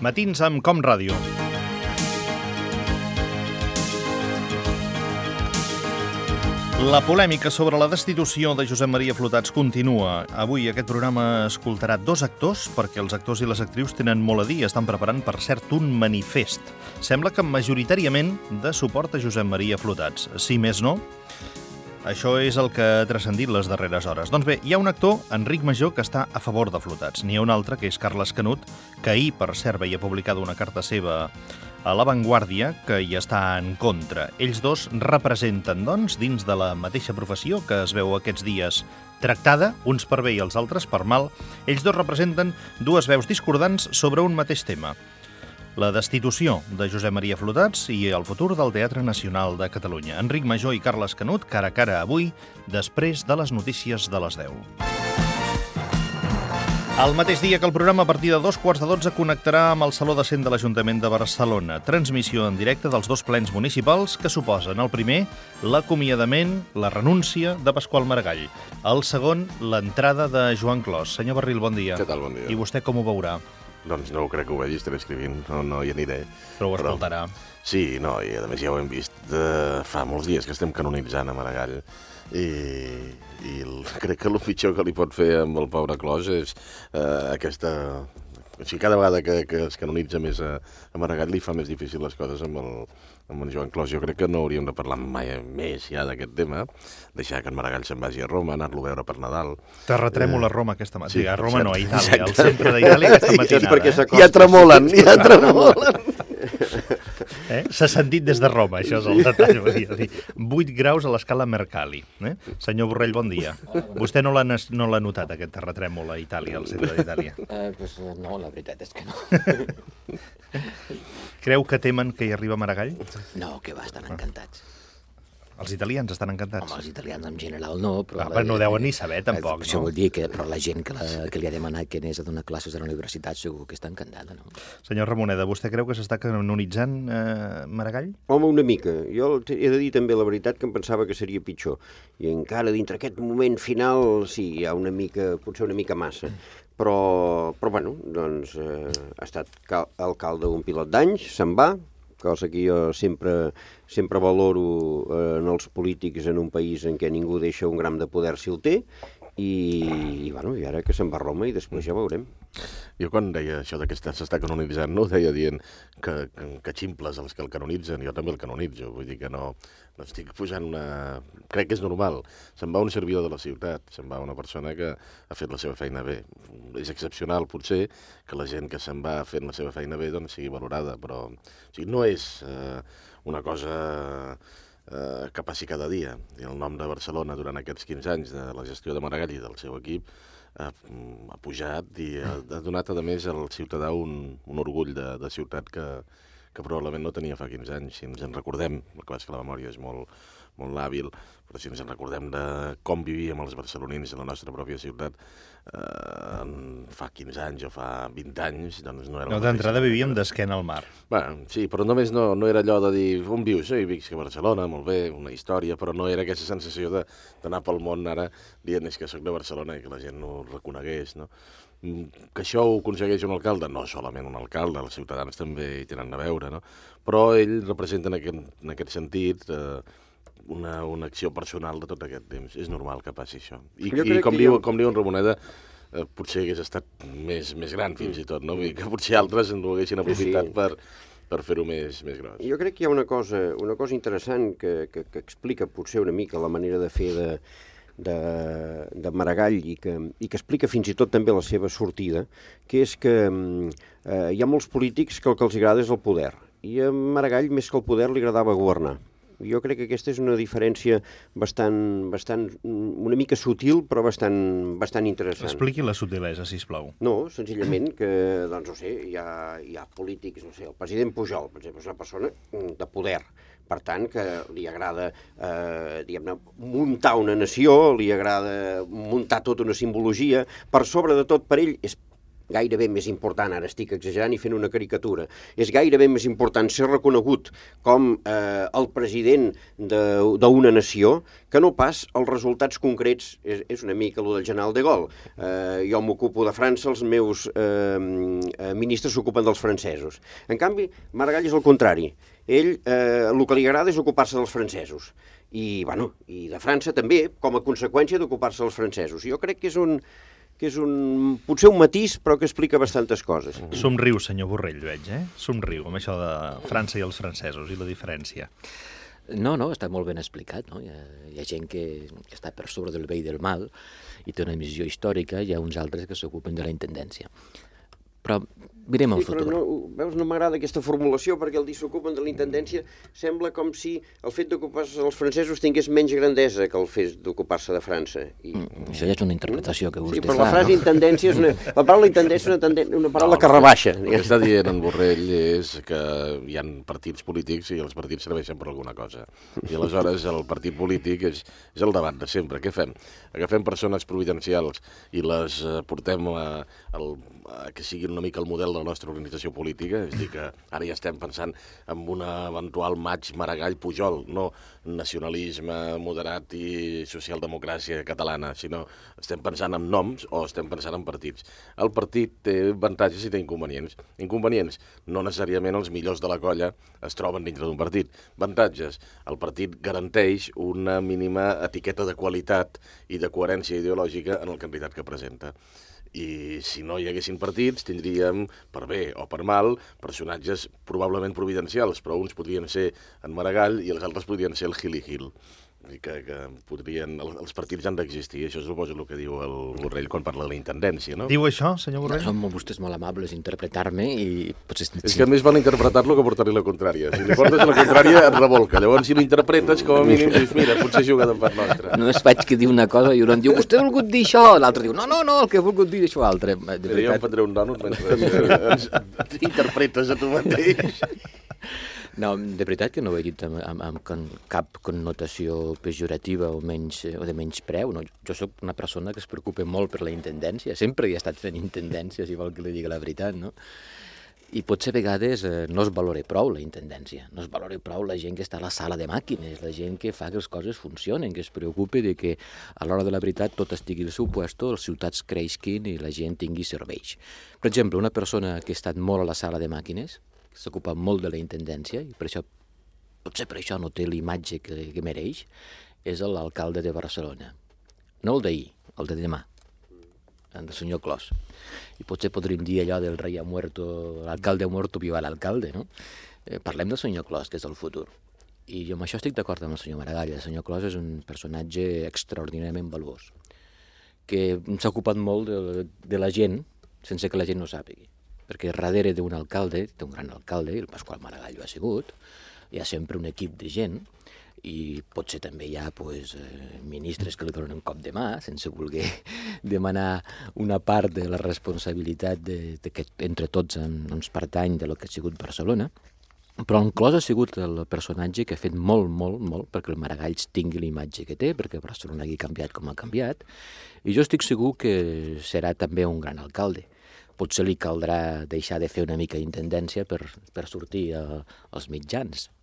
Matins amb Com Ràdio. La polèmica sobre la destitució de Josep Maria Flotats continua. Avui aquest programa escoltarà dos actors, perquè els actors i les actrius tenen molt a dir i estan preparant, per cert, un manifest. Sembla que majoritàriament de suport a Josep Maria Flotats. Si més no, això és el que ha transcendit les darreres hores. Doncs bé, hi ha un actor, Enric Major, que està a favor de Flotats. N'hi ha un altre, que és Carles Canut, que ahir, per cert, veia publicada una carta seva a La Vanguardia, que hi està en contra. Ells dos representen, doncs, dins de la mateixa professió que es veu aquests dies tractada, uns per bé i els altres per mal, ells dos representen dues veus discordants sobre un mateix tema: la destitució de Josep Maria Flotats i el futur del Teatre Nacional de Catalunya. Enric Major i Carles Canut, cara a cara avui, després de les notícies de les 10. El mateix dia que el programa, a partir de 11:45, connectarà amb el Saló de Cent de l'Ajuntament de Barcelona. Transmissió en directe dels dos plens municipals que suposen el primer, l'acomiadament, la renúncia de Pasqual Maragall. El segon, l'entrada de Joan Clos. Senyor Barril, bon dia. Què tal, bon dia. I vostè com ho veurà? Doncs no crec que ho vegi, estaré escrivint, no hi aniré. Però ho escoltarà. Sí, no, i a més ja ho hem vist fa molts dies que estem canonitzant a Maragall i crec que el pitjor que li pot fer amb el pobre Clos és aquesta... O sigui, cada vegada que es canonitza més a Maragall li fa més difícil les coses amb en Joan Clos. Jo crec que no hauríem de parlar mai més ja d'aquest tema, deixar que en Maragall se'n vagi a Roma, anar-lo a veure per Nadal. Terratrèmol a Roma aquesta matinada. Sí, A Roma no, a Itàlia, exacte. al centre d'Itàlia aquesta matinada. Ja tremolen, ja tremolen. S'ha sentit des de Roma, això és el detall. Volia dir. 8 graus a l'escala Mercalli. Senyor Borrell, bon dia. Vostè no l'ha notat, aquest terratrèmol a Itàlia, al centre d'Itàlia? No, la veritat és que no. Creu que temen que hi arriba Maragall? No, que va, estan encantats. Els italians estan encantats. Home, els italians en general no, però... Però no deuen ni saber, tampoc, Això no? vol dir que però la gent que li ha demanat que anés a donar classes a la universitat segur que està encantada, no? Senyor Ramoneda, vostè creu que s'està canonitzant Maragall? Home, una mica. Jo he de dir també la veritat que em pensava que seria pitjor. I encara dintre aquest moment final, sí, hi ha una mica, potser una mica massa. Però bueno, doncs ha estat alcalde un pilot d'anys, se'n va, cosa que jo sempre valoro en els polítics en un país en què ningú deixa un gram de poder si el té, i ara que se'n va a Roma i després ja veurem. Jo quan deia això que s'està canonitzant, no ho deia dient que ximples els que el canonitzen, jo també el canonitzo, vull dir que no estic posant una... Crec que és normal. Se'n va un servidor de la ciutat, se'n va una persona que ha fet la seva feina bé. És excepcional, potser, que la gent que se'n va fent la seva feina bé doncs sigui valorada, però no és una cosa que passi cada dia. I el nom de Barcelona durant aquests 15 anys de la gestió de Maragall i del seu equip ha pujat i ha donat, a més, al ciutadà un orgull de ciutat que probablement no tenia fa 15 anys. Si ens en recordem, el que és que la memòria és molt hàbil, però si ens en recordem de com vivíem els barcelonins a la nostra pròpia ciutat fa 15 anys o fa 20 anys, doncs no era... No, d'entrada vivíem d'esquena al mar. Bueno, sí, però només no era allò de dir on vius? Jo visc a Barcelona, molt bé, una història, però no era aquesta sensació d'anar pel món ara dient que soc de Barcelona i que la gent no ho reconegués, no? Que això ho aconsegueix un alcalde? No solament un alcalde, els ciutadans també hi tenen a veure, no? Però ell representa en aquest sentit una acció personal de tot aquest temps. És normal que passi això. I com diu en Ramoneda, potser hagués estat més gran fins i tot, no? Vull dir que potser altres ho haguessin aprofitat per fer-ho més gros. Jo crec que hi ha una cosa interessant que explica potser una mica la manera de fer de Maragall i que explica fins i tot també la seva sortida, que és que hi ha molts polítics que el que els agrada és el poder. I a Maragall, més que el poder, li agradava governar. Jo crec que aquesta és una diferència bastant una mica sutil, però bastant interessant. Expliqui la sutilesa, sisplau. No, senzillament que, doncs no sé, hi ha polítics, no sé, el president Pujol, per exemple, és una persona de poder. Per tant, que li agrada, diguem-ne, muntar una nació, li agrada muntar tota una simbologia. Per sobre de tot, per ell, és gairebé més important, ara estic exagerant i fent una caricatura, és gairebé més important ser reconegut com el president d'una nació que no pas els resultats concrets. És una mica el del general de Gaulle. Jo m'ocupo de França, els meus ministres s'ocupen dels francesos. En canvi, Maragall és el contrari. Ell, el que li agrada és ocupar-se dels francesos. I de França també, com a conseqüència d'ocupar-se dels francesos. Jo crec que és potser un matís, però que explica bastantes coses. Somriu, senyor Borrell, veig, Somriu, amb això de França i els francesos i la diferència. No, està molt ben explicat, no? Hi ha gent que està per sobre del bé i del mal i té una missió històrica, i hi ha uns altres que s'ocupen de la intendència. Però mirem el futur. Però veus, no m'agrada aquesta formulació, perquè el dir s'ocupen de la intendència sembla com si el fet d'ocupar-se dels francesos tingués menys grandesa que el fet d'ocupar-se de França. Això ja és una interpretació que vostè fa. Sí, però fa, la frase intendència la paraula intendència és una paraula que rebaixa. El que està dient en Borrell és que hi ha partits polítics i els partits serveixen per alguna cosa. I aleshores el partit polític és el debat de sempre. Què fem? Agafem persones providencials i les portem que siguin una mica el model de la nostra organització política, és a dir, que ara ja estem pensant en un eventual maig Maragall-Pujol, no nacionalisme moderat i socialdemocràcia catalana, sinó estem pensant en noms o estem pensant en partits. El partit té avantatges i té inconvenients. Inconvenients, no necessàriament els millors de la colla es troben dintre d'un partit. Avantatges, el partit garanteix una mínima etiqueta de qualitat i de coherència ideològica en el candidat que presenta. I si no hi haguessin partits, tindríem, per bé o per mal, personatges probablement providencials, però uns podrien ser en Maragall i els altres podrien ser el Gil i Gil. Que podrien, els partits han d'existir, això suposo el que diu el Borrell quan parla de la intendència, no? Diu això, senyor Borrell? Són vostès molt amables interpretar-me i potser... És que més val interpretar-lo que portar-li la contrària. Si li portes la contrària et revolca. Llavors, si l'interpretes, com a mínim dius, mira, potser juga de part nostra. No es faig que diu una cosa i un diu, vostè ha volgut dir això, l'altre diu, no, el que ha volgut dir això altre. Jo em prendré un dònut mentre interpretes a tu mateix. No, de veritat que no ho he dit amb cap connotació pejorativa o de menyspreu. No? Jo sóc una persona que es preocupa molt per la intendència. Sempre he estat fent intendència, si vol que li digui la veritat, no? I potser a vegades no es valora prou la intendència, no es valora prou la gent que està a la sala de màquines, la gent que fa que les coses funcionen, que es preocupa de que a l'hora de la veritat tot estigui al seu puesto, les ciutats creixin i la gent tingui serveis. Per exemple, una persona que ha estat molt a la sala de màquines, s'ocupa molt de la intendència i potser per això no té l'imatge que mereix, és l'alcalde de Barcelona. No el d'ahir, el de demà, el senyor Clos. I potser podríem dir allò del rei ha muerto, l'alcalde ha muerto, viva l'alcalde, no? Parlem del senyor Clos, que és el futur. I jo amb això estic d'acord amb el senyor Maragall. El senyor Clos és un personatge extraordinàriament valuós, que s'ha ocupat molt de la gent sense que la gent no sàpigui. Perquè darrere d'un alcalde, d'un gran alcalde, el Pasqual Maragall ho ha sigut, hi ha sempre un equip de gent i potser també hi ha ministres que li donen un cop de mà sense voler demanar una part de la responsabilitat que entre tots ens pertany de lo que ha sigut Barcelona. Però en Clos ha sigut el personatge que ha fet molt, molt, molt perquè el Maragall tingui l'imatge que té, perquè Barcelona hagi canviat com ha canviat, i jo estic segur que serà també un gran alcalde. Potser li caldrà deixar de fer una mica d'intendència per sortir als mitjans,